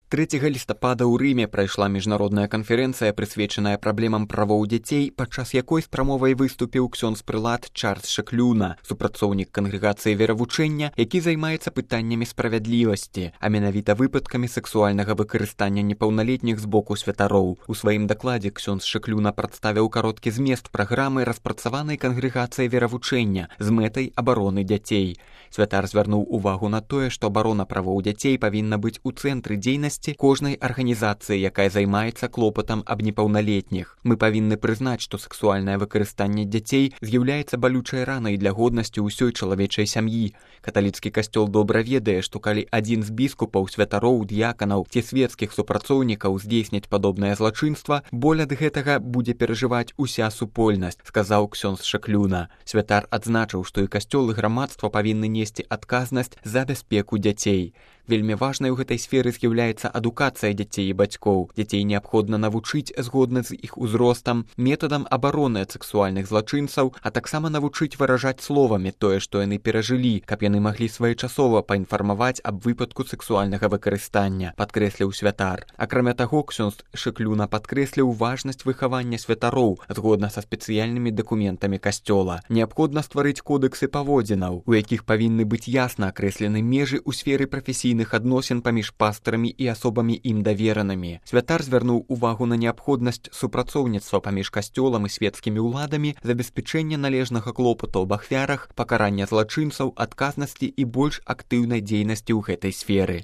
3 лістапада ў Рыме прайшла міжнародная канферэнцыя, прысвечаная праблемам правоў дзяцей, падчас якой з прамовай выступіў ксёндз-прылад Чарльз Шаклюна, супрацоўнік кангрэгацыі веравучэння, які займаецца пытаннямі справядлівасці, а менавіта выпадкамі сэксуальнага выкарыстання непаўналетніх з боку святароў. У сваім дакладзе ксёндз Шаклюна прадставіў кароткі змест праграмы, распрацаванай кангрэгацыяй веравучэння з мэтай абароны дзяцей. Святар звярнуў увагу на тое, што абарона правоў дзяцей павінна быць у цэнтры дзейнасці кожнай арганізацыі, якая займаецца клопатам аб непаўналетніх. Мы павінны прызнаць, што сэксуальнае выкарыстанне дзяцей з'яўляецца балючай ранай для годнасці ўсёй чалавечай сям'і. Каталіцкі касцёл добра ведае, што калі адзін з біскупаў, святароў, д'яканаў ці свецкіх супрацоўнікаў здзейсніць падобнае злачынства, боль ад гэтага будзе перажываць уся супольнасць, сказаў ксёндз Шаклюна. Святар адзначыў, што і касцёл, і грамадства павінны несці адказнасць за бяспеку дзяцей. Вельмі важнай у гэтай сферы з'яўляецца адукацыя дзяцей і бацькоў. Дзяцей неабходна навучыць згодна з іх узростам, метадам абароны ад сэксуальных злачынцаў, а таксама навучыць выражаць словамі тое, што яны перажылі, каб яны маглі своечасова паінфармаваць аб выпадку сэксуальнага выкарыстання, падкрэсліў святар. Акрамя таго, ксёндз Шаклюна падкрэсліў важнасць выхавання святароў згодна са спецыяльнымі дакументамі касцёла. Неабходна стварыць кодэксы паводзінаў, у якіх павінны быць ясна акрэслены межы ў сферы прафесійных адносін паміж пастарамі і асобамі ім даверанымі. Святар звярнуў увагу на неабходнасць супрацоўніцтва паміж касцёлам і свецкімі ўладамі, забеспячэння належнага клопату аб ахвярах, пакарання злачынцаў, адказнасці і больш актыўнай дзейнасці ў гэтай сферы.